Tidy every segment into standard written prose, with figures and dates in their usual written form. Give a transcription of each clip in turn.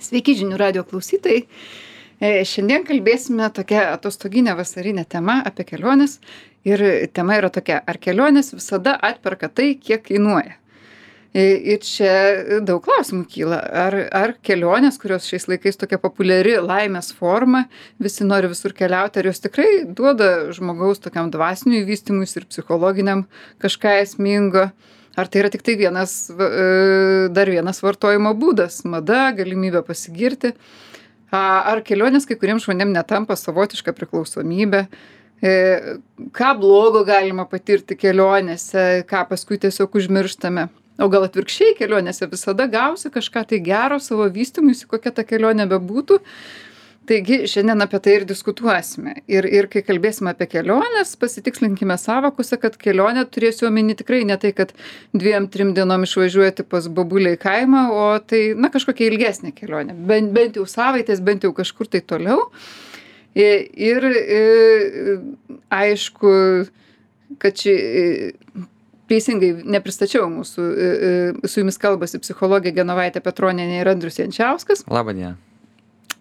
Sveiki žinių radio klausytojai. Šiandien kalbėsime tokia atostoginė vasarinė tema apie keliones. Ir tema yra tokia, ar kelionės visada atperka tai, kiek kainuoja. Ir čia daug klausimų kyla. Ar kelionės, kurios šiais laikais tokia populiari laimės forma, visi nori visur keliauti, ar jos tikrai duoda žmogaus tokiam dvasiniui vystymuisi ir psichologiniam kažką esmingo. Ar tai yra tik tai dar vienas vartojimo būdas, mada, galimybė pasigirti? Ar kelionės kai kuriems žmonėms netampa savotiška priklausomybė? Ką blogo galima patirti kelionėse, ką paskui tiesiog užmirštame? O gal atvirkščiai kelionėse visada gausi kažką tai gero savo vystymuisi, kokia ta kelionė bebūtų? Taigi šiandien apie tai ir diskutuosime. Ir kai kalbėsime apie keliones, pasitikslinkime sąvokose, kad kelionė turėsiu omeny tikrai ne tai, kad 2-3 dienom išvažiuoti pas bobulę į kaimą, o tai, kažkokia ilgesnė kelionė. Bent jau savaitės, bent jau kažkur tai toliau. Ir aišku, kad teisingai nepristačiau mūsų, su jumis kalbasi psichologė Genovaitė Petronienė ir Andrius Jančiauskas. Labą dieną.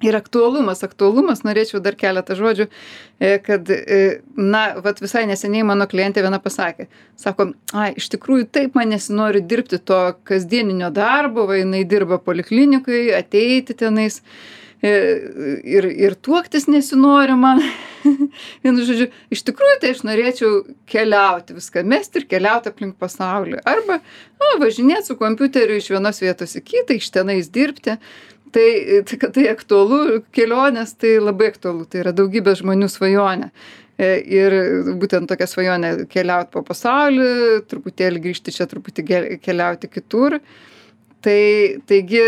Ir aktualumas, norėčiau dar keletą žodžių, kad, visai neseniai mano klientė viena pasakė, sako, iš tikrųjų taip man nesinori dirbti to kasdieninio darbo, jinai dirba poliklinikoje, ateiti tenais ir tuoktis nesinori man. Vienu žodžiu, iš tikrųjų tai aš norėčiau keliauti, viską mesti ir keliauti aplink pasaulį. Arba važinėti su kompiuteriu iš vienos vietos į kitą, iš tenais dirbti. Tai kad tai aktualu, kelionės tai labai aktualu, tai yra daugybė žmonių svajonė. Ir būtent tokia svajonė keliauti po pasaulį, truputėlį grįžti čia, truputį keliauti kitur. Taigi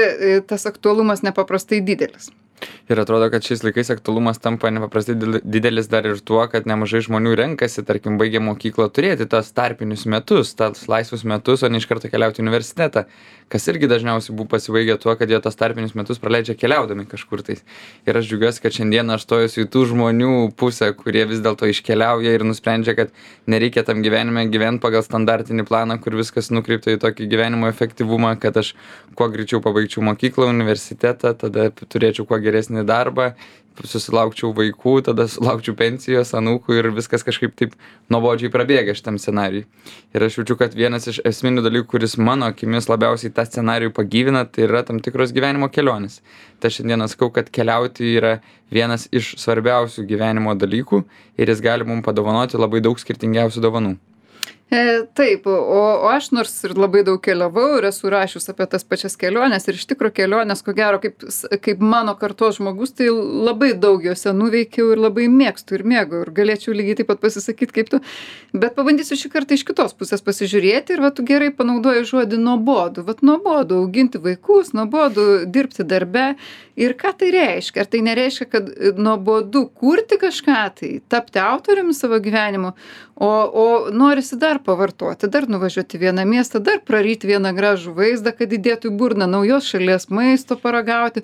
tas aktualumas nepaprastai didelis. Ir atrodo, kad šiais laikais aktualumas tampa nepaprastai didelis dar ir tuo, kad nemažai žmonių renkasi, tarkim, baigę mokyklą turėti tas tarpinius metus, tas laisvus metus, o ne iš karto keliauti į universitetą, kas irgi dažniausiai pasibaigia tuo, kad jie tas tarpinius metus praleidžia keliaudami kažkur tais. Ir aš džiaugiuosi, kad šiandien aš stojusiu į tų žmonių pusę, kurie vis dėlto iškeliauja ir nusprendžia, kad nereikia tam gyvenime gyventi pagal standartinį planą, kur viskas nukreipta į tokį gyvenimo efektyvumą, kad aš kuo greičiau pabaigčiau mokyklą, universitetą, tada turėčiau kuo geresnį darbą, susilaukčiau vaikų, tada sulaukčiau pensijos, anūkų ir viskas kažkaip taip nuobodžiai prabėga šitam scenarijui. Ir aš jaučiu, kad vienas iš esminių dalykų, kuris mano akimis labiausiai tą scenarijų pagyvina, tai yra tam tikros gyvenimo kelionės. Tai šiandieną sakau, kad keliauti yra vienas iš svarbiausių gyvenimo dalykų ir jis gali mums padovanoti labai daug skirtingiausių dovanų. Taip, o aš nors ir labai daug keliavau ir esu rašius apie tas pačias keliones ir iš tikro kelionės, ko gero, kaip mano kartos žmogus, tai labai daug juose nuveikiau ir labai mėgstu ir mėgau ir galėčiau lygiai taip pat pasisakyti kaip tu, bet pabandysiu šį kartą iš kitos pusės pasižiūrėti ir tu gerai panaudoji žodį nuobodu. Nuobodu auginti vaikus, nuobodu dirbti darbe ir ką tai reiškia? Ar tai nereiškia, kad nuobodu kurti kažką tai, tapti autoriumi savo gyvenimo, o norisi dar pavartoti, dar nuvažiuoti vieną miestą, dar praryti vieną gražų vaizdą, kad įdėtų į burną naujos šalies maisto paragauti.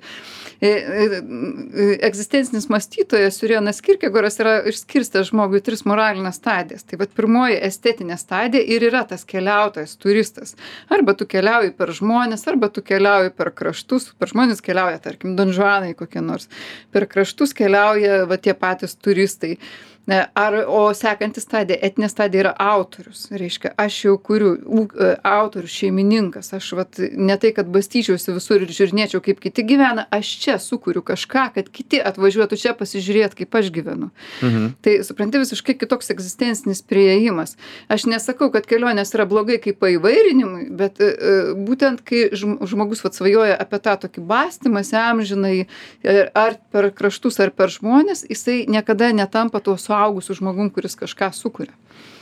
Egzistencinis mąstytojas Sørenas Kierkegaardas yra išskirstęs žmogui 3 moralinės stadijas. Tai pirmoji estetinė stadija ir yra tas keliautojas, turistas. Arba tu keliauji per žmones, arba tu keliauji per kraštus. Per žmones keliauja, tarkim, donžuanai kokie nors. Per kraštus keliauja tie patys turistai. O sekanti stadija, etinė stadija yra autorius. Reiškia, aš jau kuriu, autorius, šeimininkas. Aš ne tai, kad bastyčiausi visur ir žiūrinėčiau, kaip kiti gyvena, aš čia sukuriu kažką, kad kiti atvažiuotų čia pasižiūrėti, kaip aš gyvenu. Tai, supranti, visiškai kitoks egzistencinis priėjimas. Aš nesakau, kad kelionės yra blogai kaip paįvairinimui, bet būtent kai žmogus svajoja apie tą tokį bastymąsi amžinai, ar per kraštus, ar per žmones, jisai niekada netampa tuo suaugusiu žmogum, kuris kažką sukuria.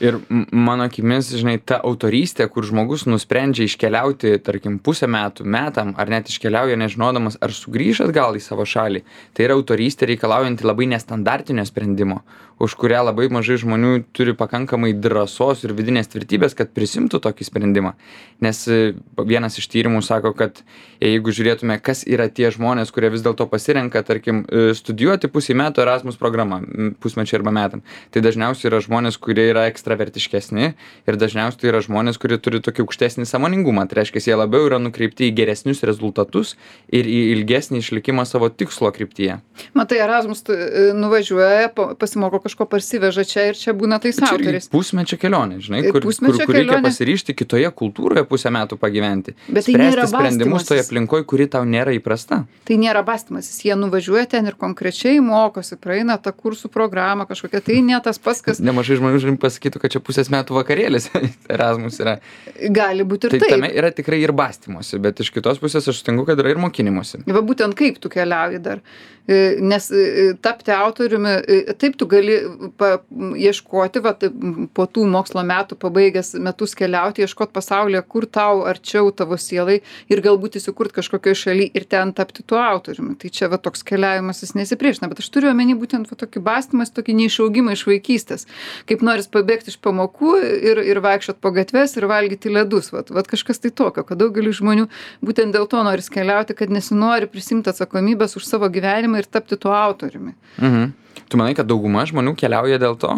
Ir mano akimis, ta autorystė, kur žmogus nusprendžia iškeliauti, tarkim, pusę metų, metam, ar net iškeliauja nežinodamas, ar sugrįš atgal į savo šalį, tai yra autorystė reikalaujanti labai nestandartinio sprendimo, už kurią labai mažai žmonių turi pakankamai drąsos ir vidinės tvirtybės, kad prisimtų tokį sprendimą. Nes vienas iš tyrimų sako, kad jeigu žiūrėtume, kas yra tie žmonės, kurie vis dėlto pasirenka, tarkim, studijuoti pusę metų Erasmus programą, pusmečiai arba metam, tai dažniausiai yra žmonės, kurie yra ekstravertiškesni ir dažniausiai tai yra žmonės, kurie turi tokį aukštesnį sąmoningumą. Tai reiškia, jie labiau yra nukreipti į geresnius rezultatus ir į ilgesnį išlikimą savo tikslo kryptyje. Matai, Erasmus nuvažiuoja, pasimoko kažko, parsiveža čia ir čia būna tais autoriais. Pusmečio kelionė, žinai, kur reikia pasiryžti kitoje kultūroje pusę metų pagyventi. Bet tai nėra sprendimus toje aplinkoje, kuri tau nėra įprasta. Tai nėra bastymasis. Jie nuvažiuoja ten ir konkrečiai mokosi, praeina tą kursų programą kažkokią. Tai ne tas pats, kas... Nemažai žmonių pasakytų, kad čia pusės metų vakarėlis Erasmus yra. Gali būti ir taip. Tame yra tikrai ir bastymosi, bet iš kitos pusės aš sutinku, kad yra ir mokinimosi. Va būtent kaip tu keliauji dar. Nes tapti autoriumi, taip tu gali ieškoti, va, po tų mokslo metų pabaigęs metus keliauti, ieškoti pasaulyje, kur tau arčiau tavo sielai ir galbūt įsikurt kažkokioje šalyje ir ten tapti tuo autoriumi. Tai čia va toks keliavimas jis nesipriešina, bet aš turiu omeny būtent va tokį bastymas, tokį neišaugimą iš vaikystės. Kaip noris pabėgti iš pamokų ir vaikščiot po gatves ir valgyti ledus. Va kažkas tai tokio, kad daugelis žmonių būtent dėl to noris keliauti, kad nesinori prisimti atsakomybės už savo gyvenimą ir tapti tuo autoriumi. Mhm. Tu manai, kad dauguma žmonių keliauja dėl to?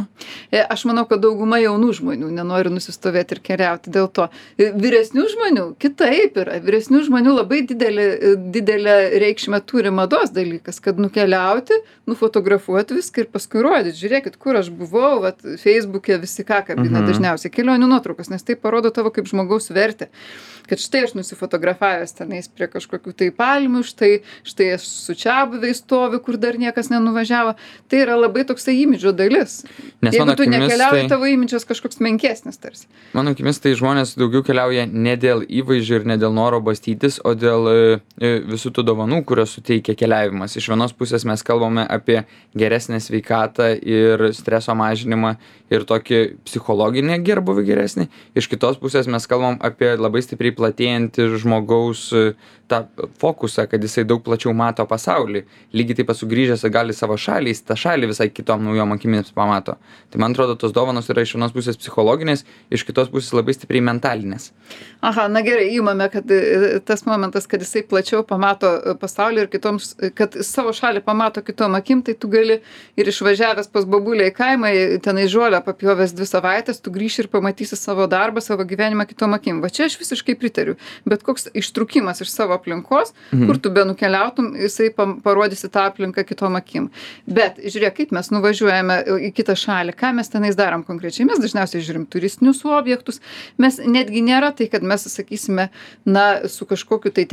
Aš manau, kad dauguma jaunų žmonių nenori nusistovėti ir keliauti dėl to. Vyresnių žmonių kitaip yra. Vyresnių žmonių labai didelę reikšmę turi mados dalykas, kad nukeliauti, nufotografuoti viską ir paskui rodyti. Žiūrėkit, kur aš buvau, vat, Facebook'e visi ką kabina dažniausiai kelionių nuotraukas, nes tai parodo tavo kaip žmogaus vertę. Kad štai aš nusifotografavęs tenais prie kažkokių tai palmių, štai aš su čiabuviais stoviu, kur dar niekas nenuvažiavo. Tai yra labai toksai imidžo dalis. Nes jeigu tu nekeliauji, tavo imidžas kažkoks menkesnis tarsi. Mano akimis tai žmonės daugiau keliauja ne dėl įvaizdžio ir ne dėl noro bastytis, o dėl visų tų dovanų, kurios suteikia keliavimas. Iš vienos pusės mes kalbame apie geresnę sveikatą ir streso mažinimą ir tokį psichologinį gerbuvį geresnį. Iš kitos pusės mes kalbam apie labai stipriai platėjantį žmogaus tą fokusą, kad jisai daug plačiau mato pasaulį. Lygiai taip pat sugrįžęs gali savo šalį, tą šalį visai kitom naujom akimis pamato. Tai man atrodo, tos dovanos yra iš vienos pusės psichologinės, iš kitos pusės labai stipriai mentalinės. Aha, na gerai, įmame, kad tas momentas, kad jisai plačiau pamato pasaulį ir kitoms, kad savo šalį pamato kitom akim, tai tu gali ir išvažiavęs pas babulę į kaimą, tenai žolę papjovęs 2 savaitės, tu grįši ir pamatysi savo darbą, savo gyvenimą kitom akim. Va čia aš visiškai pritariu. Bet koks ištrukimas iš savo aplinkos, kur tu be nukeliautum, jisai parodysi tą aplinką kitom akim. Bet žiūrėk, kaip mes nuvažiuojame į kitą šalį, ką mes tenais darom konkrečiai. Mes dažniausiai žiūrim turistinius objektus. Mes netgi nėra tai, kad mes sakysime, na, su kažkokiu tai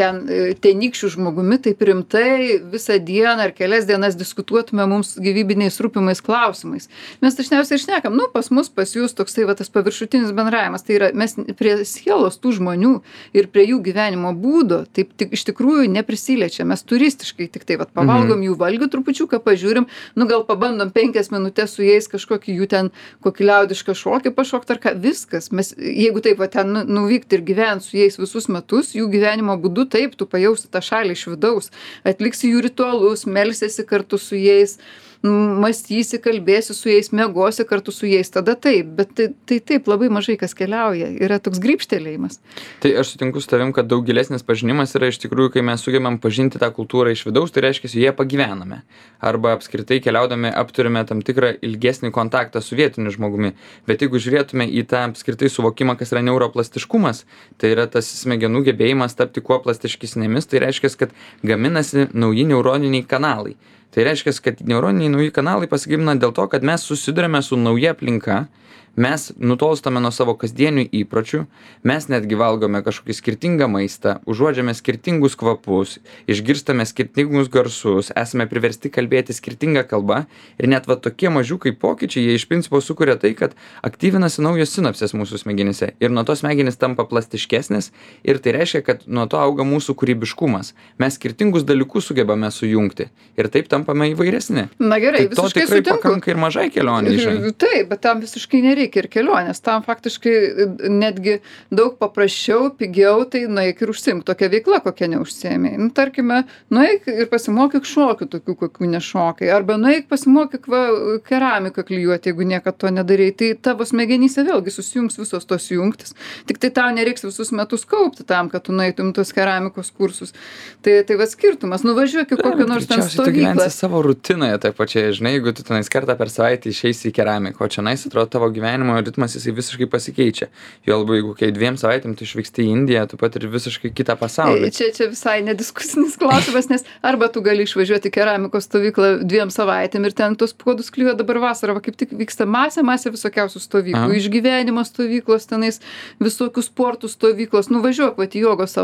tenykščiu žmogumi taip rimtai visą dieną ar kelias dienas diskutuotume mums gyvybiniais rūpimais klausimais. Mes dažniausiai šnekam, nu, pas mus, pas jūs toksai va tas paviršutinis bendravimas. Tai yra, mes prie sielos tų žmonių ir prie jų gyvenimo būdo taip tik iš tikrųjų neprisiliečia. Mes turistiškai tik tai pavalgom jų valgių trupučiuką, pažiūrim, nu gal pabandom 5 minutės su jais kažkokį jų ten kokį liaudišką šokį pašokti ar ką, viskas. Mes, jeigu taip va ten nuvykti ir gyventi su jais visus metus, jų gyvenimo būdu, taip, tu pajausi tą šalį iš vidaus, atliksi jų ritualus, melsiesi kartu su jais, mąstysi, kalbėsi su jais, miegosi kartu su jais, tada taip, bet tai taip labai mažai kas keliauja, yra toks grybštelėjimas. Tai aš sutinku su tavim, kad daug gilesnis pažinimas yra iš tikrųjų, kai mes sugebam pažinti tą kultūrą iš vidaus, tai reiškia, joje pagyvename. Arba apskritai keliaudami apturime tam tikrą ilgesnį kontaktą su vietiniu žmogumi. Bet jeigu žiūrėtume į tą apskritai suvokimą, kas yra neuroplastiškumas, tai yra tas smegenų gebėjimas tapti kuo plastiškesnėmis, tai reiškia, kad gaminasi nauji neuroniniai kanalai. Tai reiškia, kad neuroniniai nauji kanalai pasigimina dėl to, kad mes susidurime su nauja aplinka, mes nutolstame nuo savo kasdienių įpročių, mes netgi valgome kažkokį skirtingą maistą, užuodžiame skirtingus kvapus, išgirstame skirtingus garsus, esame priversti kalbėti skirtingą kalbą ir net va tokie mažiukai pokyčiai, jie iš principo sukuria tai, kad aktyvinasi naujos sinapsės mūsų smegenyse ir nuo to smegenys tampa plastiškesnės ir tai reiškia, kad nuo to auga mūsų kūrybiškumas. Mes skirtingus dalykus sugebame sujungti ir taip tampame įvairesni. Na gerai, tai visiškai sutinku. To tikrai pakanka ir mažai kelionė. Taip, bet tam visiškai nereikia ir kelionės. Tam faktiškai netgi daug paprasčiau, pigiau, tai nueik ir užsiimk tokią veiklą, kokią neužsiėmei. Nu, tarkime, nueik ir pasimokyk šokių tokių, kokių nešokai. Arba nueik pasimokyk keramiką klijuoti, jeigu niekad to nedarei. Tai tavo smegenyse vėlgi susijungs visos tos jungtis. Tik tai tau nereiks visus metus kaupti tam, kad tu nueitum tos keramikos kursus. Tai va skirtumas. Nuvažiuok į kokią nors ten stovyklą. Tu gyvensi savo rutinoje, taip pačiai, žinai, jeigu tu tenais kartą per savaitę išeisi į keramiką, o čia nais atrodo tavo gyvenimas gyvenimo ritmas jisai visiškai pasikeičia. Jo labiau, jeigu kai 2 savaitėm tu išvyksti į Indiją, tu patiri visiškai kitą pasaulį. Čia visai nediskusinis klausimas, nes arba tu gali išvažiuoti į keramikos stovyklą 2 savaitėm ir ten tos puodus klijuoja. Dabar vasarą, kaip tik vyksta masė visokiausių stovyklų, išgyvenimo stovyklos, tenais visokių sportų stovyklos. Nuvažiuok į jogos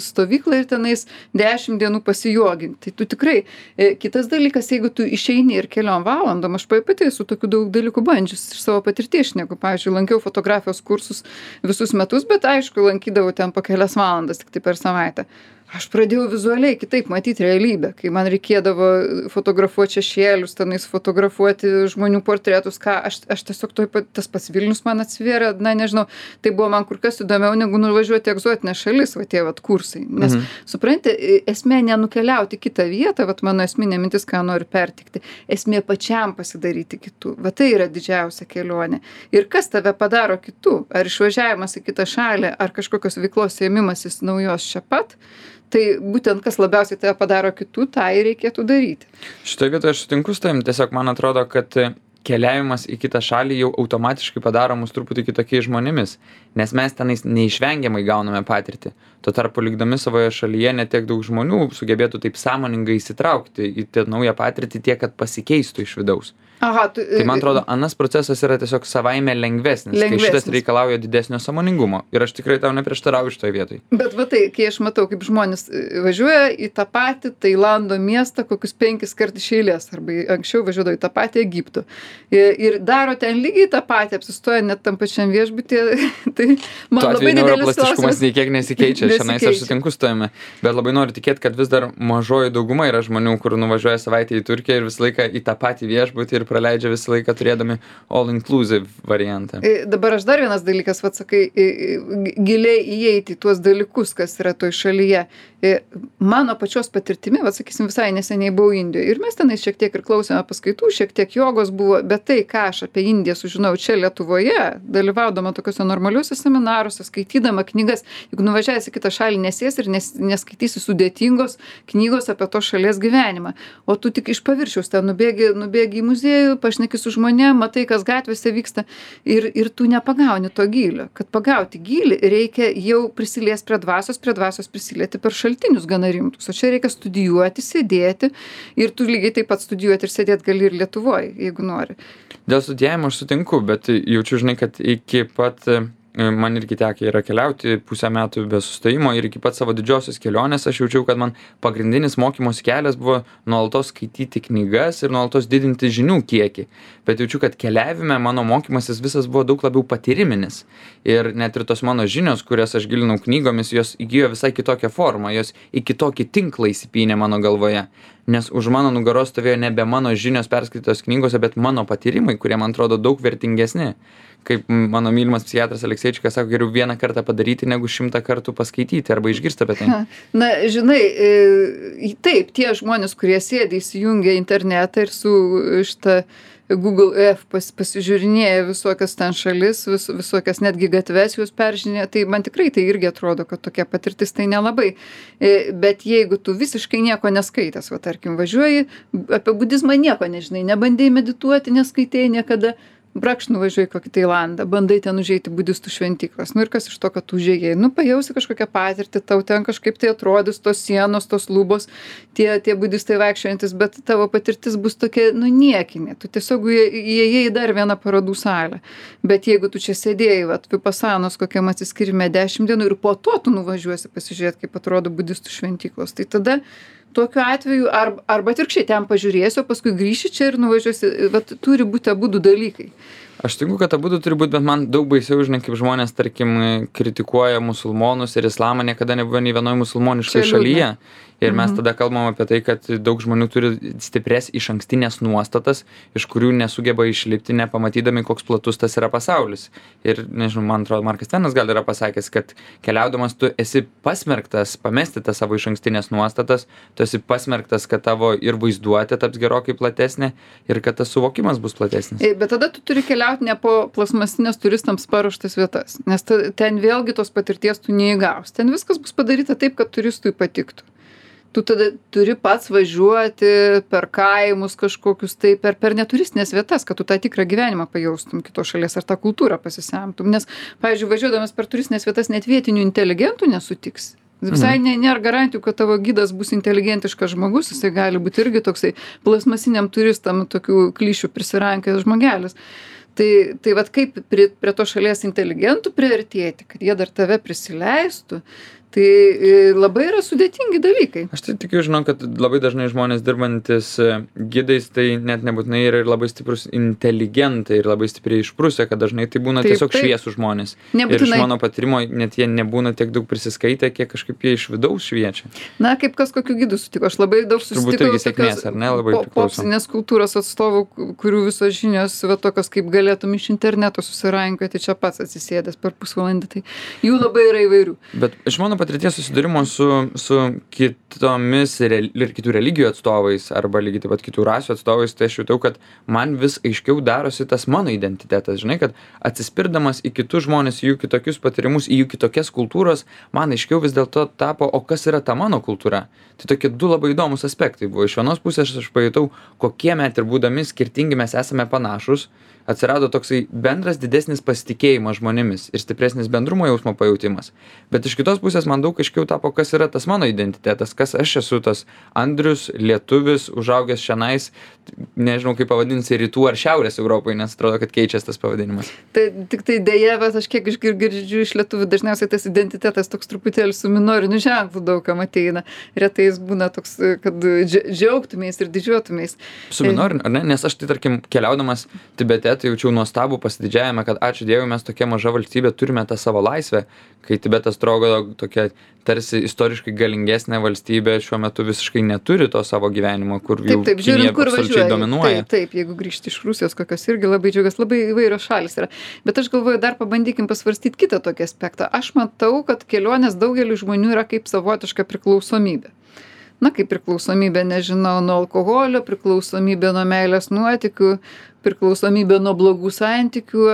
stovyklą ir tenais 10 dienų pasijoginti. Tai tu tikrai, kitas dalykas, jeigu tu išeini ir keliom valandom, aš pati esu tokių daug dalykų bandžius iš savo patirties šneku. Pavyzdžiui, lankiau fotografijos kursus visus metus, bet aišku, lankydavau ten po kelias valandas tik tai per savaitę. Aš pradėjau vizualiai kitaip matyti realybę, kai man reikėdavo fotografuoti šešėlius, tenais fotografuoti žmonių portretus, aš tiesiog tas pats Vilnius man atsivėrė, nežinau, tai buvo man kur kas įdomiau negu nuvažiuoti į egzotinę šalis, tie kursai. Nes, supranti, esmė nenukeliauti kitą vietą, mano esminė mintis, ką noriu pertikti, esmė pačiam pasidaryti kitų. Tai yra didžiausia kelionė. Ir kas tave padaro kitų? Ar išvažiavimas į kitą šalį, ar kažkokios veiklos ėmimasis naujos čia pat? Tai būtent kas labiausiai tave padaro kitų, tą ir reikėtų daryti. Šitoje vietoje aš sutinku su tavim, tiesiog man atrodo, kad keliavimas į kitą šalį jau automatiškai padaro mus truputį kitokiais žmonėmis, nes mes tenais neišvengiamai gauname patirtį. Tuo tarpu likdami savoje šalyje netiek daug žmonių sugebėtų taip sąmoningai įsitraukti į tą naują patirtį tiek, kad pasikeistų iš vidaus. Tai man atrodo, anas procesas yra tiesiog savaime lengvesnis, kai šitas reikalauja didesnio sąmoningumo. Ir aš tikrai tau neprieštarauju šitoje vietoje. Bet kai aš matau, kaip žmonės važiuoja į tą patį Tailando miestą kokius 5 kartus iš eilės, arba anksčiau važiuodavo į tą patį Egiptų. Ir daro ten lygiai tą patį, apsistoja net tam pačiam viešbutyje. Tai man labai didelis neuroplastiškumas nei kiek nesikeičia, šiandien aš sutinku su tavimi. Bet labai noriu tikėti, kad vis dar mažoji dauguma yra žmonių, kur nuvažiuoja savaitę į Turkiją ir visą laiką į tą patį viešbutį ir praleidžia visą laiką turėdami all-inclusive variantą. Dabar aš dar vienas dalykas, sakai, giliai įeiti į tuos dalykus, kas yra toj šalyje. Mano pačios patirtimi, sakysim, visai neseniai buvau Indijoje ir mes tenais šiek tiek ir klausėme paskaitų, šiek tiek jogos buvo, bet tai, ką aš apie Indiją sužinojau čia Lietuvoje, dalyvaudama tokiuose normaliuose seminaruose, skaitydama knygas, juk nuvažiavęs į kitą šalį nesės ir neskaitysi sudėtingos knygos apie to šalies gyvenimą, o tu tik iš paviršiaus ten nubėgi į muziejų, pašneki su žmonėm, matai, kas gatvėse vyksta ir tu nepagauni to gylio. Kad pagauti gylį, reikia jau prisiliesti prie dvasios prisilieti per šaltinius gana rimtus. O čia reikia studijuoti, sėdėti ir tu lygiai taip pat studijuoti ir sėdėti gali ir Lietuvoje, jeigu nori. Dėl studijavimo aš sutinku, bet jaučiu, žinai, kad iki pat man irgi tekę yra keliauti 5 metų be sustojimo ir iki pat savo didžiosios kelionės aš jaučiau, kad man pagrindinis mokymosi kelias buvo nuolatos skaityti knygas ir nuolatos didinti žinių kiekį. Bet jaučiu, kad keliavime mano mokymasis visas buvo daug labiau patyriminis. Ir net ir tos mano žinios, kurias aš gilinau knygomis, jos įgijo visai kitokią formą, jos į kitokį tinklą įsipynė mano galvoje. Nes už mano nugaros stovėjo nebe mano žinios perskaitytos knygose, bet mano patyrimai, kurie man atrodo daug vertingesni. Kaip mano mylimas psichiatras Alekseičikas sako, geriau 1 kartą padaryti, negu 100 kartų paskaityti arba išgirsti apie tai. Na, žinai, taip, tie žmonės, kurie sėdi įsijungia internetą ir su šitą Google Earth pasižiūrinėja visokias ten šalis, visokias netgi gatves jūs peržinėja, tai man tikrai tai irgi atrodo, kad tokia patirtis tai nelabai. Bet jeigu tu visiškai nieko neskaitęs, tarkim, važiuoji, apie budizmą nieko nežinai, nebandėjai medituoti, neskaitėjai niekada, brakšt nuvažiuoji kokį Tailandą, bandai ten užeiti budistų šventyklas. Ir kas iš to, kad tu užėjai? Pajausi kažkokią patirtį, tau ten kažkaip tai atrodys tos sienos, tos lubos, tie budistai vaikščiojantis, bet tavo patirtis bus tokia, niekinė. Tu tiesiog įėjai į dar vieną parodų salę. Bet jeigu tu čia sėdėjai, Vipasanos kokiam atsiskirime 10 dienų ir po to tu nuvažiuosi pasižiūrėti, kaip atrodo budistų šventyklos, tai tada tokiu atveju arba atvirkščiai ten pažiūrėsiu, o paskui grįši čia ir nuvažiuosi, turi būti abudu dalykai. Aš tinku, kad abudu turi būti, bet man daug baisiau, žinai, kaip žmonės, tarkim, kritikuoja musulmonus ir islamą, niekada nebuvo nei vienoje musulmoniškoje šalyje. Ir mes tada kalbam apie tai, kad daug žmonių turi stipres išankstinės nuostatas, iš kurių nesugeba išlipti, nepamatydami, koks platus tas yra pasaulis. Ir, nežinau, man atrodo, Markas Tvenas gal yra pasakęs, kad keliaudamas tu esi pasmerktas pamesti tas savo išankstinės nuostatas, tu esi pasmerktas, kad tavo ir vaizduotė taps gerokai platesnė ir kad tas suvokimas bus platesnis. Bet tada tu turi keliauti ne po plasmasinės turistams paruoštas vietas, nes ten vėlgi tos patirties tu neįgaus. Ten viskas bus padaryta taip, kad turistui patiktų. Tu tada turi pats važiuoti per kaimus kažkokius, tai per neturistinės vietas, kad tu tą tikrą gyvenimą pajaustum kitos šalies ar tą kultūrą pasisemtum. Nes, pavyzdžiui, važiuodamas per turistinės vietas net vietinių inteligentų nesutiksi. Visai nėra garantijų, kad tavo gidas bus inteligentiškas žmogus, jisai gali būti irgi toksai plasmasiniam turistam tokių klišių prisirankęs žmogelis. Tai vat kaip prie to šalies inteligentų priartėti, kad jie dar tave prisileistų, tai labai yra sudėtingi dalykai. Aš tai tikiu, žinau, kad labai dažnai žmonės dirbantis gidais, tai net nebūtinai yra ir labai stiprus inteligentai ir labai stipriai išprusę, kad dažnai tai būna tiesiog šviesų žmonės. Nebūtinai. Ir iš mano patyrimo net jie nebūna tiek daug prisiskaitę, kiek kažkaip jie iš vidaus šviečia. Na, kaip kas kokiu gidu sutiko. Aš labai daug susitikau. Turbūt irgi sėkmės, ar ne, labai priklauso. Popsinės kultūros atstovų, kurių visos žinios, va tokios kaip galėtum iš interneto susirankioti čia pats atsisėdęs per pusvalandį. Tai jų labai yra įvairių. Bet iš mano patirties susidūrimo su kitomis ir kitų religijų atstovais arba lygiai taip pat kitų rasių atstovais, tai aš jutau, kad man vis aiškiau darosi tas mano identitetas. Žinai, kad atsispirdamas į kitus žmonės, į jų kitokius patyrimus, į jų kitokias kultūros, man aiškiau vis dėlto tapo, o kas yra ta mano kultūra. Tai tokie du labai įdomus aspektai buvo. Iš vienos pusės aš pajutau, kokie met ir būdami skirtingi mes esame panašus. Atsirado toksai bendras didesnis pasitikėjimas žmonėmis ir stipresnis bendrumo jausmo pajautimas. Bet iš kitos pusės man daug aiškiau tapo, kas yra tas mano identitetas, kas aš esu, tas Andrius, lietuvis, užaugęs šianais, nežinau kaip pavadinsi, rytų ar šiaurės Europoje, nes atrodo, kad keičiasi tas pavadinimas. Tai tik tai dėja, bet aš kiek girdžiu iš lietuvių, dažniausiai tas identitetas toks truputėlį su minoriniu ženklu daugam ateina. Retai jis būna toks, kad džiaugtumės ir didžiuotumės. Su minoriniu, ar ne? Nes aš tai, tarkim, keliaudamas Tibete, tai jaučiau nuostabų pasididžiavimą, kad ačiū Dievui, mes tokia maža valstybė turime tą savo laisvę, kai Tibetas atrodo tokia tarsi istoriškai galingesnė valstybė šiuo metu visiškai neturi to savo gyvenimo, kur jau Kinija absoliučiai dominuoja. Taip, jeigu grįžti iš Rusijos, kokios irgi labai džiaugias, labai įvairios šalis yra. Bet aš galvoju, dar pabandykim pasvarstyti kitą tokį aspektą. Aš matau, kad kelionės daugeliu žmonių yra kaip savotiška priklausomybė. Na, kaip priklausomybė, nežinau, nuo alkoholio, priklausomybė nuo meilės nuotykių, priklausomybė nuo blogų santykių,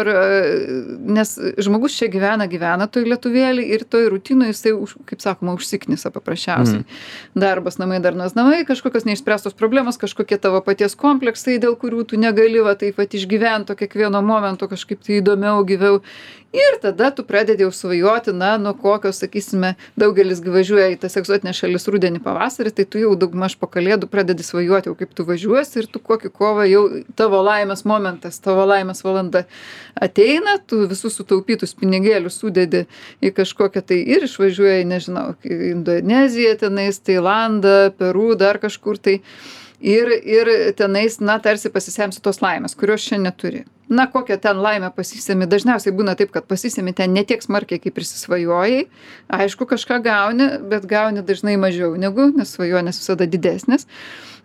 nes žmogus čia gyvena toj lietuvėlį ir toj rutinoj jisai, kaip sakoma, užsiknisa paprasčiausiai. Darbas, namai, darnos namai, kažkokios neišspręstos problemos, kažkokie tavo paties kompleksai, dėl kurių tu negali taip pat išgyventi kiekvieno momento kažkaip tai įdomiau, gyviau. Ir tada tu pradedi jau svajoti, nuo kokios, sakysime, daugelis važiuoja į tas egzotinės šalis rudenį pavasarį, tai tu jau daugmaž po kalėdų pradedi svajoti, jau kaip tu važiuosi ir tu kokį kovą jau tavo laimės momentas, tavo laimės valanda ateina, tu visus sutaupytus pinigėlius sudedi į kažkokią tai ir išvažiuoji, nežinau, Indoneziją, tenais, Tailandą, Peru, dar kažkur tai. Ir tenais, tarsi pasisemsi tos laimės, kurios čia neturi. Kokią ten laimę pasisemi. Dažniausiai būna taip, kad pasisemi ten ne tiek smarkiai, kaip prisisvajojai. Aišku, kažką gauni, bet gauni dažnai mažiau negu, nes svajonės visada didesnės.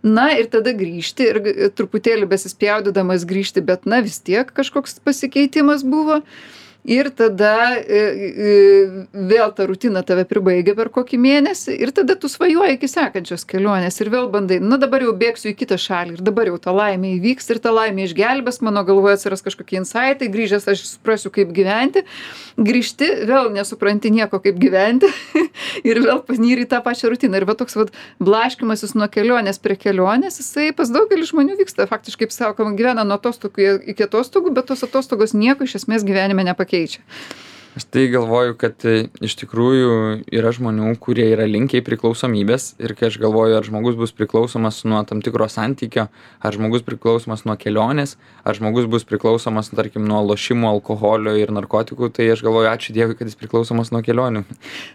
Ir tada grįžti ir truputėlį besispjaudydamas grįžti, bet vis tiek kažkoks pasikeitimas buvo. Ir tada vėl ta rutina tave pribaigia per kokį mėnesį ir tada tu svajoji iki sekančios kelionės ir vėl bandai, dabar jau bėgsiu į kitą šalį ir dabar jau ta laimė įvyks ir ta laimė išgelbės, mano galvoje atsiras kažkokie insaitai, grįžęs aš suprasiu, kaip gyventi, grįžti, vėl nesupranti nieko, kaip gyventi ir vėl panyri į tą pačią rutiną. Ir va toks blaškymasis nuo kelionės prie kelionės, jisai pas daugelį žmonių vyksta, faktiškai, kaip sakoma, gyvena nuo atostogų iki atostogų, bet tos atostogos nieko iš esmės gyvenime nepakeičia. Aš tai galvoju, kad iš tikrųjų yra žmonių, kurie yra linkę į priklausomybės ir kai aš galvoju, ar žmogus bus priklausomas nuo tam tikro santykio, ar žmogus priklausomas nuo kelionės, ar žmogus bus priklausomas, tarkim, nuo lošimų, alkoholio ir narkotikų, tai aš galvoju, ačiū Dievui, kad jis priklausomas nuo kelionių.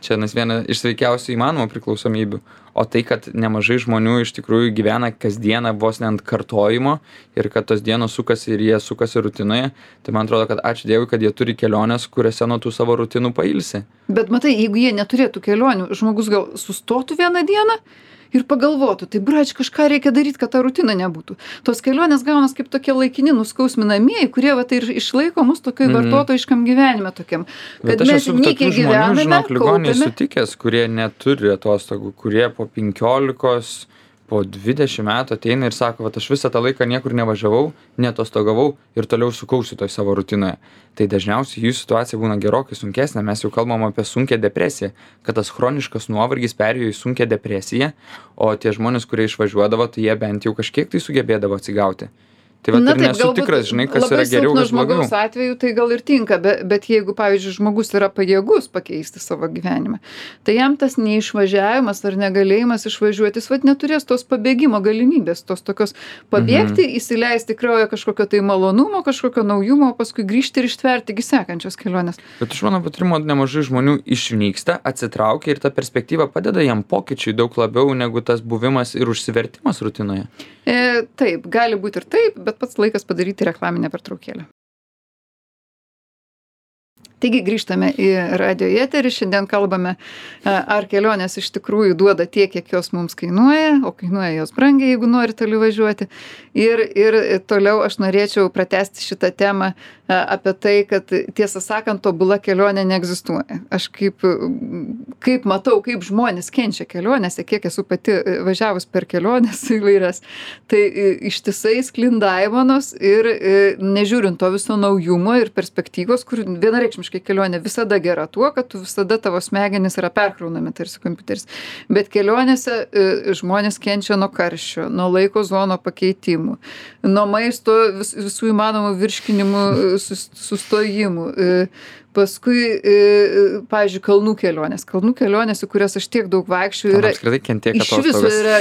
Čia viena iš sveikiausių įmanomų priklausomybių. O tai, kad nemažai žmonių iš tikrųjų gyvena kasdieną vos ne ant kartojimo ir kad tos dienos sukasi ir jie sukasi rutinoje, tai man atrodo, kad ačiū Dievui, kad jie turi keliones, kuriuose nuo tų savo rutinų pailsi. Bet matai, jeigu jie neturėtų kelionių, žmogus gal sustotų vieną dieną ir pagalvotų, tai brač, kažką reikia daryti, kad ta rutina nebūtų. Tos kelionės gaunas kaip tokie laikini nuskausminamieji, kurie ir išlaiko mus tokioj vartotojiškam gyvenime tokiam. Bet aš esu tokių žmonių, žinok, ligoninėje sutikęs, kurie neturi atostogų, kurie po 15, po 20 metų ateina ir sako, vat aš visą tą laiką niekur nevažiavau, neatostogavau ir toliau sukausi toj savo rutinoje. Tai dažniausiai jų situacija būna gerokai sunkesnė, mes jau kalbam apie sunkią depresiją, kad tas chroniškas nuovargis perėjo į sunkią depresiją, o tie žmonės, kurie išvažiuodavo, tai jie bent jau kažkiek tai sugebėdavo atsigauti. Tai vat ir nesu tikras, žinai, kas yra geriau, kas blogiau. Žmogaus atveju tai gal ir tinka, bet jeigu, pavyzdžiui, žmogus yra pajėgus pakeisti savo gyvenimą, tai jam tas neišvažiavimas ar negalėjimas išvažiuoti, jis vat neturės tos pabėgimo galimybės, tos tokios pabėgti, įsileisti kraują kažkokio tai malonumo, kažkokio naujumo, o paskui grįžti ir ištverti iki sekančios kelionės. Bet iš mano patyrimo nemažai žmonių išnyksta, atsitraukia ir ta perspektyva padeda jam pokyčiui daug labiau negu tas buvimas ir užsivertimas rutinoje. Taip, gali būti ir taip, bet pats laikas padaryti reklaminę pertraukėlę. Taigi grįžtame į radijo eterį, šiandien kalbame, ar kelionės iš tikrųjų duoda tiek, kiek jos mums kainuoja, o kainuoja jos brangiai, jeigu nori toli važiuoti. Ir toliau aš norėčiau pratęsti šitą temą apie tai, kad tiesą sakant, tobula kelionė neegzistuoja. Aš kaip matau, kaip žmonės kenčia kelionėse, kiek esu pati važiavus per kelionės įvairias, tai ištisai sklinda aimanos ir nežiūrint to viso naujumo ir perspektyvos, kur vienareikšmiškai kelionė visada gera tuo, kad tu visada tavo smegenys yra perkraunami tarsi kompiuteris. Bet kelionėse žmonės kenčia nuo karščio, nuo laiko zono pakeitimų, nuo maisto visų įmanomų virškinimų sustojimų. Paskui, pavyzdžiui, kalnų kelionės, į kurias aš tiek daug vaikščiu, yra iš viso yra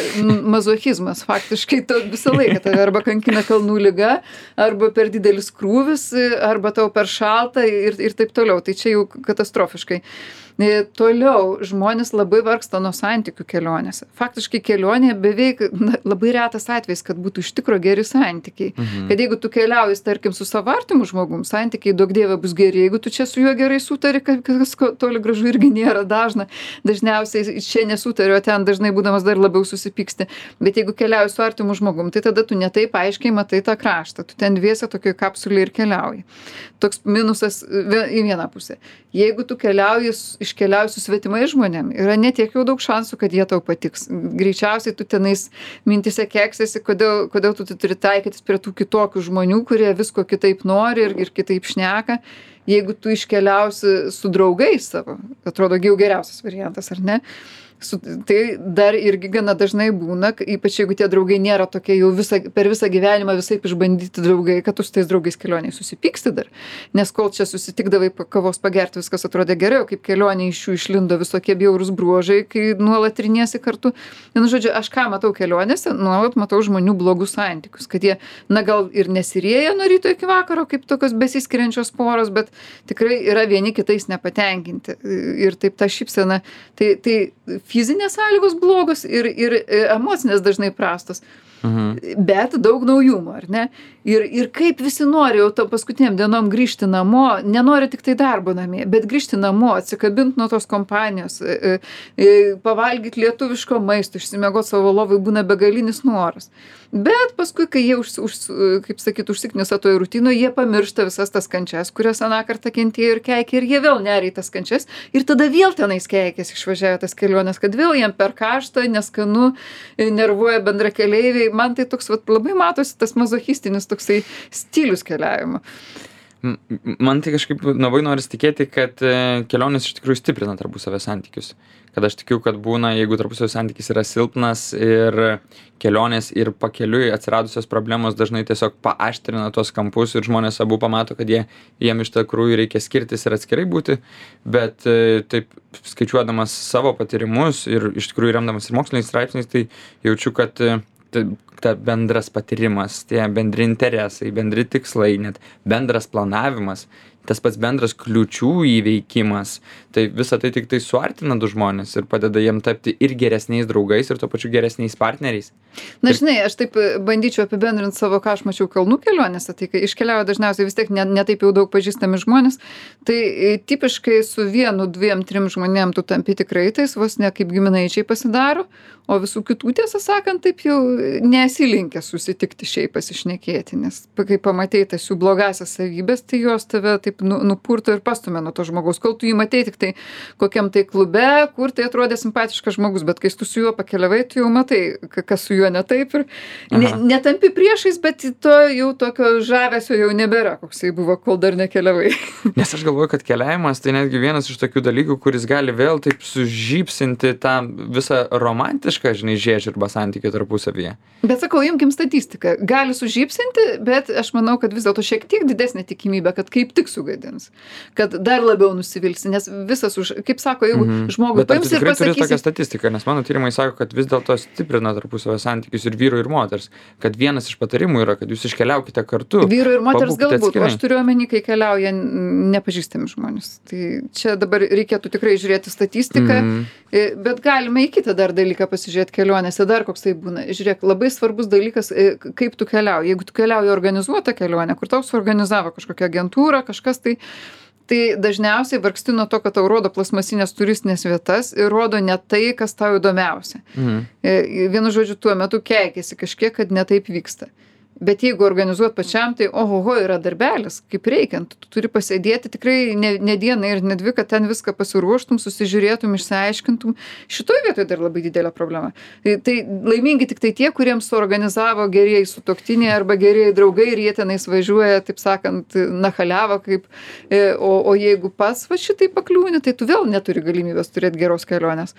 mazochizmas. Faktiškai visą laiką tave arba kankina kalnų liga, arba per didelis krūvis, arba tau per šalta ir taip toliau. Tai čia jau katastrofiškai. Toliau žmonės labai vargsta nuo santykių kelionėse. Faktiškai kelionė beveik labai retas atvejis, kad būtų iš tikro geri santykiai. Kad jeigu tu keliauji, tarkim, su savo artimu žmogum, santykiai daug dievė bus geri. Jeigu tu čia su juo gerai sutari, kas toli gražu irgi nėra dažna. Dažniausiai čia nesutari, o ten dažnai būdamas dar labiau susipyksti. Bet jeigu keliauji su artimu žmogum, tai tada tu netaip aiškiai matai tą kraštą. Tu ten dviese tokioj kapsulėje ir keliauji. Toks minusas į vieną pusę. Jeigu tu iškeliauji su svetimais žmonėm, yra netiek jau daug šansų, kad jie tau patiks. Greičiausiai tu tenais mintise keksiesi, kodėl tu turi taikytis prie tų kitokių žmonių, kurie visko kitaip nori ir kitaip šneka. Jeigu tu iškeliausi su draugais savo, atrodo jau geriausias variantas, ar ne? Tai dar irgi gana dažnai būna, ypač jeigu tie draugai nėra tokie jau per visą gyvenimą visaip išbandyti draugai, kad tu su tais draugais kelioniai susipyksti dar. Nes kol čia susitikdavai kavos pagerti, viskas atrodė gerai, o kaip kelionė iš jų išlindo visokie bjaurūs bruožai, kai nuolat triniesi kartu. Vienu žodžiu, aš ką matau kelionėse, nuolat matau žmonių blogus santykius, kad jie, gal ir nesirėja nuo ryto iki vakaro, kaip tokios besiskiriančios poros, bet tikrai yra vieni kitais nepatenkinti. Ir taip ta šypsena, tai fizinės sąlygos blogos ir emocinės dažnai prastos. Bet daug naujumo, ar ne? Ir kaip visi nori jau to paskutiniam dienom grįžti namo, nenori tik tai darbo namie, bet grįžti namo, atsikabinti nuo tos kompanijos, pavalgyti lietuviško maisto, išsimiegoti savo lovai būna begalinis noras. Bet paskui, kai jie, kaip sakyt, užsiknisa toj rutinoje, jie pamiršta visas tas kančias, kurias aną kartą kentėjo ir keikė, ir jie vėl neria į tas kančias, ir tada vėl tenais keikės išvažiavę tas kelionės, kad vėl jiem per karštą, neskanu, nervuoja bendrakeleiviai. Man tai toks labai matosi tas mazochistinis toksai stilius keliavimo. Man tai kažkaip labai noris tikėti, kad kelionės iš tikrųjų stiprina tarpusavio santykius. Kad aš tikiu, kad būna, jeigu tarpusavio santykis yra silpnas ir kelionės ir pakeliui atsiradusios problemos dažnai tiesiog paaštrina tuos kampus ir žmonės abu pamato, kad jiem iš tikrųjų reikia skirtis ir atskirai būti. Bet taip skaičiuodamas savo patyrimus ir iš tikrųjų remdamas ir moksliniais straipsniais, tai jaučiu, kad ta bendras patyrimas, tie bendri interesai, bendri tikslai, net bendras planavimas, tas pats bendras kliūčių įveikimas, tai visa tai tik tai suartina du žmonės ir padeda jiem tapti ir geresniais draugais, ir tuo pačiu geresniais partneriais. Na, žinai, aš taip bandyčiau apibendrinti savo, ką aš mačiau kalnų kelionėse, tai kai iškeliauja dažniausiai vis tiek ne taip jau daug pažįstami žmonės, tai tipiškai su 1, 2, 3 žmonėm tu tampi tikrai tais, vos ne kaip giminaičiai pasidaro, o visų kitų, tiesą sakant, taip jau nesi linkęs susitikti šiaip pasišnekėti, nes kai pamatei tas jų blogąsias savybės, tai jos tave taip nupurto ir pastumė nuo to žmogaus. Kol tu jį matei tik tai kokiam tai klube, kur tai atrodė simpatiškas žmogus, bet kai tu su juo pakeliavai, tu jau matai, kas su juo ne taip ir netampi priešais, bet to jau tokio žavesio jau nebėra, koksai buvo, kol dar nekeliavai. Nes aš galvoju, kad keliavimas tai netgi vienas iš tokių dalykų, kuris gali vėl taip sužypsinti tą visą romantišką, žinai, žiežirbą santykių tarpusavyje. Bet sakau, imkim statistiką. Gali sužypsinti, bet aš manau, kad vis dėlto šiek tiek didesnė tikimybė, kad kaip tik sugadins. Kad dar labiau nusivilsi, nes visas kaip sako, jeigu žmogui Bet ar tu paims ir tikrai turi tokią pasakysi, statistiką, nes mano tyrimai sako, kad vis dėlto stiprina tarpusavio santykius ir vyro ir moters, kad vienas iš patarimų yra, kad jūs iškeliaukite kartu. vyro ir moters pabūkite galbūt, o atskirai. aš turiu omeny, kai keliauja nepažįstami žmonės. Tai čia dabar reikėtų tikrai žiūrėti statistiką, bet galime į kitą dar dalyką pasižiūrėti kelionėse, dar koks tai būna. Žiūrėk, labai svarbus dalykas, kaip tu keliauji. Jeigu tu keliauji organizuotą kelionę, kur tau suorganizavo kažkokią agentūrą, kažkas tai dažniausiai vargsti nuo to, kad tau rodo plasmasinės turistinės vietas ir rodo ne tai, kas tau įdomiausia. Vienu žodžiu, tuo metu keikiasi kažkiek, kad ne taip vyksta. Bet jeigu organizuot pačiam, tai ohoho, yra darbelis, kaip reikiant. Tu turi pasėdėti tikrai ne dieną ir ne dvi, kad ten viską pasiruoštum, susižiūrėtum, išsiaiškintum. Šitoj vietoje dar labai didelė problema. Tai laimingi tik tai tie, kuriems suorganizavo gerieji sutuoktiniai arba gerieji draugai ir jie tenais važiuoja, taip sakant, nachaliavo kaip, o jeigu pats va šitai pakliūni, tai tu vėl neturi galimybės turėti geros kelionės.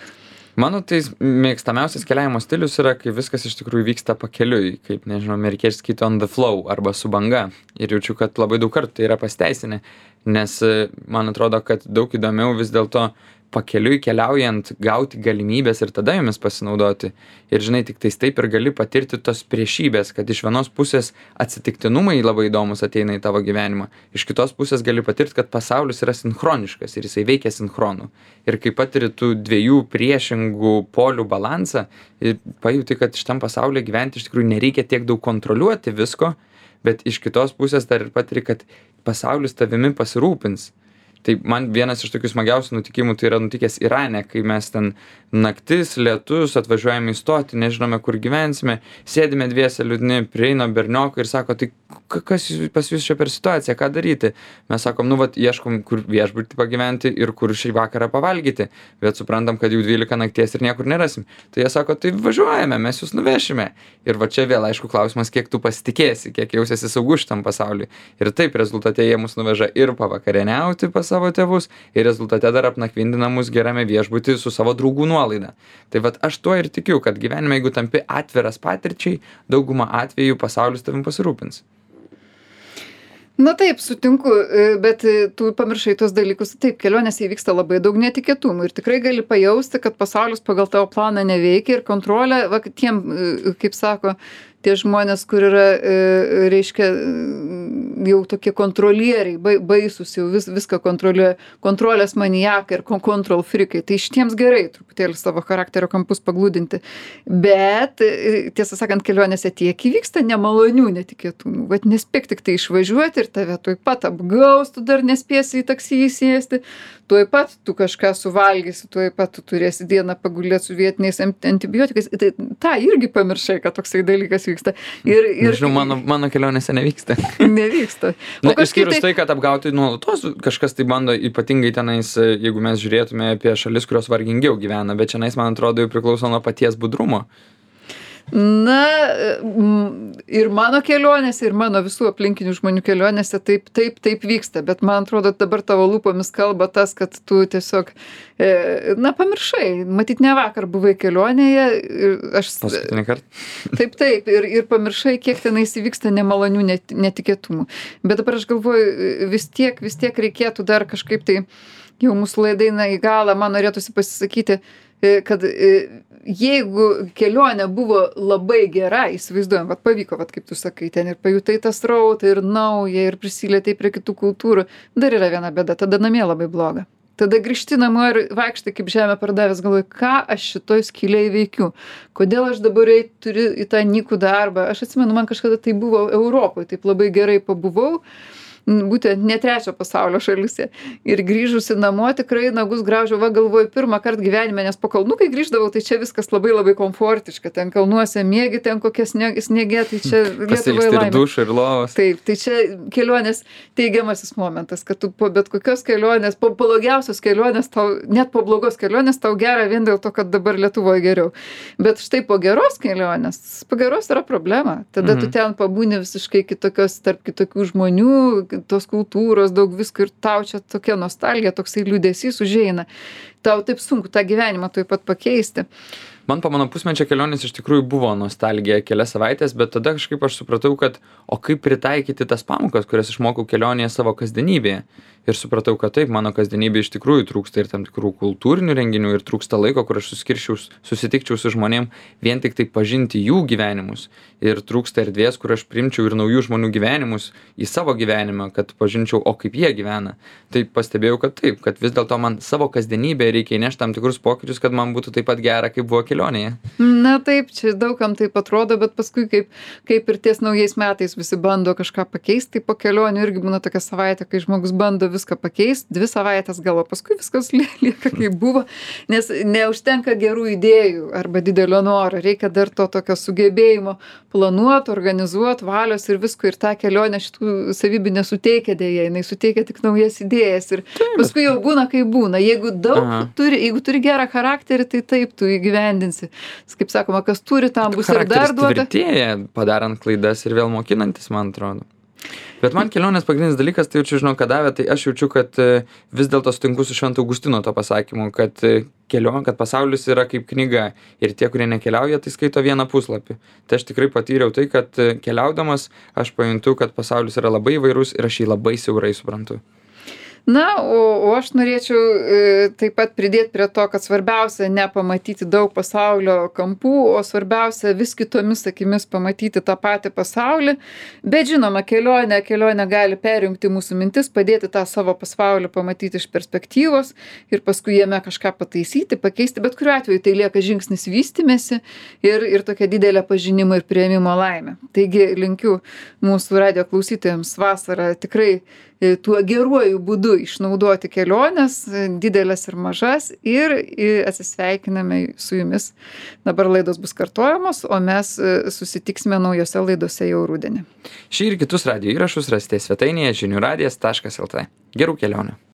Mano tai mėgstamiausias keliavimo stilius yra, kai viskas iš tikrųjų vyksta pakeliui, kaip, nežinau, amerikiečiai skaito on the flow arba su banga. Ir jaučiu, kad labai daug kartų tai yra pasiteisinę, nes man atrodo, kad daug įdomiau vis dėlto pakeliui keliaujant gauti galimybės ir tada jomis pasinaudoti. Ir žinai, tik tais taip ir gali patirti tos priešybės, kad iš vienos pusės atsitiktinumai labai įdomus ateina į tavo gyvenimą, iš kitos pusės gali patirti, kad pasaulis yra sinchroniškas ir jisai veikia sinchronu. Ir kai patiri tų dviejų priešingų polių balansą, pajuti, kad šitam pasaulyje gyventi iš tikrųjų nereikia tiek daug kontroliuoti visko, bet iš kitos pusės dar ir patiri, kad pasaulis tavimi pasirūpins. Tai man vienas iš tokių smagiausių nutikimų tai yra nutikęs Irane, kai mes ten naktis, lietus, atvažiuojame į stotį, nežinome, kur gyvensime, sėdime dviese liūdni, prieina berniokai ir sako, tai kas pas jūs čia per situaciją, ką daryti? Mes sakom, ieškom, kur viešbutį pagyventi ir kur šį vakarą pavalgyti, bet suprantam, kad jau 12 nakties ir niekur nerasim. Tai jie sako, tai važiuojame, mes jūs nuvešime. Ir va čia vėl, aišku, klausimas, kiek tu pasitikėsi, kiek jausiesi saugus šitam pasauliui. Ir taip rezultate jie mus nuveža ir pavakarieniauti pas savo tėvus, ir rezultate dar apnakvindina mus gerame viešbutį su savo draugų nuolaida. Tai vat aš tuo ir tikiu, kad gyvenime, jeigu tampi atviras patirčiai, daugumą atvejų pasaulis tavim pasirūpins. Na taip, sutinku, bet tu pamiršai tos dalykus. Taip, kelionėse įvyksta labai daug netikėtumų ir tikrai gali pajausti, kad pasaulis pagal tavo planą neveikia ir kontrolė, va, tiem, kaip sako, tie žmonės, kur yra, reiškia, jau tokie kontrolieriai, baisus, jau viską kontroliuoja, kontrolės maniakai ir control freakai. Tai šitiems gerai truputėlį savo charakterio kampus paglūdinti. Bet, tiesą sakant, kelionėse tiek įvyksta nemalonių netikėtumų. Vat nespėk tik tai išvažiuoti ir tave tuoj pat apgaus, tu dar nespėsi į taksį įsėsti, tuoj pat tu kažką suvalgysi, tuoj pat tu turėsi dieną pagulėti su vietiniais antibiotikais. Tai tą irgi pamiršai, kad toksai dalykas vyksta. Nežinau, mano kelionėse nevyksta. Nevyksta. Na, išskyrus tai, kad apgauti nuolatos kažkas tai bando, ypatingai tenais, jeigu mes žiūrėtume apie šalis, kurios vargingiau gyvena, bet čionais, man atrodo, jau priklauso nuo paties budrumo. Na, ir mano kelionėse, ir mano visų aplinkinių žmonių kelionėse taip vyksta, bet man atrodo, dabar tavo lūpomis kalba tas, kad tu tiesiog, pamiršai, matyt, ne vakar buvai kelionėje. Paskutinį kartą. Taip, ir pamiršai, kiek tenais įvyksta nemalonių netikėtumų. Bet dabar aš galvoju, vis tiek reikėtų dar kažkaip tai, jau mūsų laida eina į galą, man norėtųsi pasisakyti, kad jeigu kelionė buvo labai gera, įsivaizduojam, pavyko, kaip tu sakai, ten ir pajutai tą srautą, ir naują, ir prisilietei prie kitų kultūrų, dar yra viena bėda, tada namie labai bloga. Tada grįžti namo ir vaikštai kaip žemę pardavęs, galvoji, ką aš šitoj skylėj veikiu, kodėl aš dabar turiu į tą nykų darbą. Aš atsimenu, man kažkada tai buvo Europoje, taip labai gerai pabuvau. būtent ne trečio pasaulio šalyse. Ir grįžusi namo tikrai nagus graužiau, va galvoju, pirmą kartą gyvenime, nes po kalnų, kai grįždavau, tai čia viskas labai labai komfortiška, ten kalnuose miegi, ten kokie sniegė, tai čia Lietuvoje Ir laimė. dušą, ir lovos. Taip, tai čia kelionės teigiamasis momentas, kad tu po bet kokios kelionės, po blogiausios kelionės, net po blogos kelionės tau gera vien dėl to, kad dabar Lietuvoje geriau. Bet štai po geros kelionės, po geros yra problema. Tada tu ten pabūni visiškai kitokios, tarp kitokių žmonių, tos kultūros, daug visko ir tau čia tokia nostalgija, toksai liūdesys užeina. Tau taip sunku tą gyvenimą tuoj pat pakeisti. Man po mano pusmečio kelionės iš tikrųjų buvo nostalgija kelias savaitės, bet tada kažkaip aš supratau, kad o kaip pritaikyti tas pamokas, kurias išmokau kelionėje savo kasdienybėje. Ir supratau, kad taip, mano kasdienybė iš tikrųjų trūksta ir tam tikrų kultūrinių renginių ir trūksta laiko, kur aš susitikčiau su žmonėm vien tik tai pažinti jų gyvenimus. Ir trūksta erdvės, kur aš priimčiau ir naujų žmonių gyvenimus į savo gyvenimą, kad pažinčiau, o kaip jie gyvena. Tai pastebėjau, kad taip, kad vis dėlto man savo kasdienybėje reikia įnešti tam tikrus pokyčius, kad man būtų taip pat gera, kaip buvo kelionėje. Na taip, čia daugam taip atrodo, bet paskui kaip ir ties naujais metais visi bando kažką pakeisti, tai po kelionių irgi būna tokia savaitė, kai žmogus bando viską pakeisti, 2 savaitės gal, o paskui viskas lieka kaip buvo, nes neužtenka gerų idėjų arba didelio noro, reikia dar to tokio sugebėjimo planuoti, organizuoti, valios ir visko, ir tą kelionę šitų savybių nesuteikia dėja, jinai suteikia tik naujas idėjas ir paskui jau būna kaip būna. Jeigu jeigu turi gerą charakterį, tai taip tu įgyvendinsi. Kaip sakoma, kas turi, tam bus ir dar duota. Tvirtėja, padarant klaidas ir vėl mokinantis, man atrodo. Bet man kelionės pagrindinis dalykas, tai jaučiu, žinau, ką davė, tai aš jaučiu, kad vis dėlto sutinku su Švento Augustino to pasakymu, kad pasaulis yra kaip knyga ir tie, kurie nekeliauja, tai skaito vieną puslapį. Tai aš tikrai patyriau tai, kad keliaudamas aš pajuntu, kad pasaulis yra labai įvairus ir aš jį labai siaurai suprantu. Na, o aš norėčiau taip pat pridėti prie to, kad svarbiausia ne pamatyti daug pasaulio kampų, o svarbiausia vis kitomis akimis pamatyti tą patį pasaulį. Bet žinoma, kelionė gali perjungti mūsų mintis, padėti tą savo pasaulį pamatyti iš perspektyvos ir paskui jame kažką pataisyti, pakeisti. Bet kuriuo atveju tai lieka žingsnis vystymėsi ir tokia didelė pažinimo ir priėmimo laimė. Taigi linkiu mūsų radijo klausytojams vasarą tikrai tuo geruoju būdu išnaudoti keliones, didelės ir mažas, ir atsisveikiname su jumis. Dabar laidos bus kartojamos, o mes susitiksime naujose laidose jau rudenį. Šį ir kitus radijo įrašus rasite svetainėje žiniųradijas.lt. Gerų kelionių.